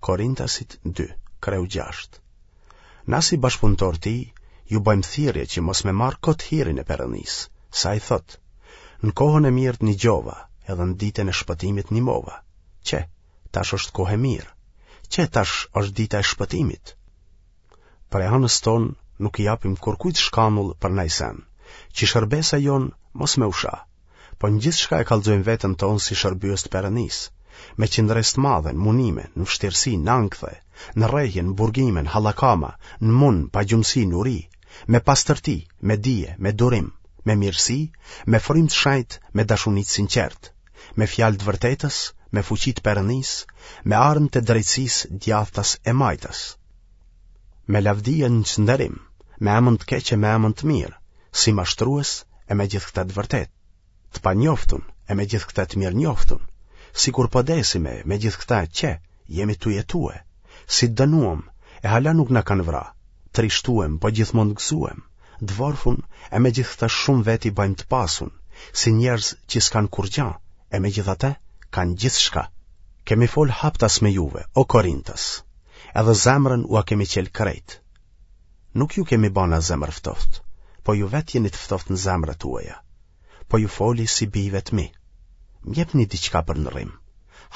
Korintasit 2, kreu 6. Na si bashkëpunëtorë të tij, ju bëjmë thirrje që mos me marrë kot hirin e Perëndisë, se ai thotë, në kohën e mirë të nigjova, edhe në ditën e shpëtimit të nimova. Qe, tash është kohë e mirë. Qe, tash është dita e shpëtimit. Prej anës tonë nuk i japim kurkujt shkanull për naj sen, që shërbesa jonë mos me u sha, po në gjithçka e kallxojmë veten tonë si shërbyes të Perëndisë, me qëndresë të madhe, në munime, në vështirësi, në ankthe, në rrehje, në burgime, në hallakama, në mund, pagjumësi, në uri, me pastërti, me dije, me durim, me mirësi, me frymë të shenjtë, me dashuni të sinqertë, me fjalë të vërtetës, me fuqi të Perëndisë, me armë të drejtësisë djathtas e majtas. Me lavdi e në çnderim, me emën të keq e me emën të mirë, si mashtrues e megjithëkëtë të vërtetë, të panjoftun e megjithëkëtë të mirënjoftun, sikur po desim e megjithëkëtë qe, jemi tu jetue, si të dënuem e hala nuk na kanë vra, trishtuem po gjithmonë të gëzuem, të vorfun e megjithëkëtë shumë vetë i bëjmë të pasun, si njerëz që s'kanë kurrgja e megjithatë kanë gjithçka. Kemi fol haptas me juve, o Korintas, edhe zemrën ua kemi çel krejt. Nuk ju kemi ba na zemërftohtë, po ju vetë jeni të ftohtë në zemrat tuaja. Po ju foli si bijve të mi. Më jepni diçka për ndërrim.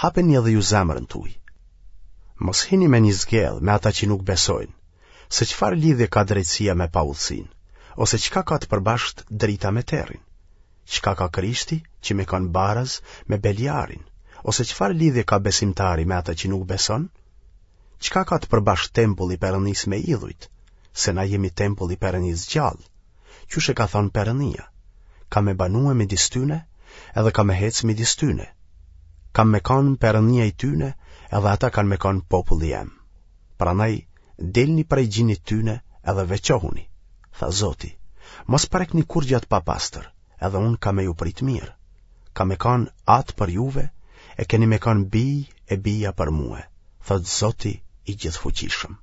Hapeni edhe ju zemrën tuaj. Mos hini me një zgedhë me ata që nuk besojnë, se çfarë lidhje ka drejtësia me paudhësinë, ose çka ka të përbashkët drita me terrin? Çka ka Krishti që me kanë baraz me Beliarin, ose çfarë lidhje ka besimtari me ata që nuk beson? Çka ka të përbashkët tempulli i Perëndisë me idhujt, se na jemi tempulli i Perëndisë gjallë? Qysh e ka thënë Perëndia, kam me banue midis tyne, edhe kam me hecë midis tyne. Kam me kanë Perëndia i tyne, edhe ata kanë me kanë populli jem. Prandaj, dilni prej gjinit tyne edhe veçohuni, tha Zoti. Mos prekni kurrgja të papastër, edhe unë kam me ju prit mirë. Kam me kanë atë për juve, e keni me kanë bij e bija për mue, thotë Zoti i gjithëfuqishëm.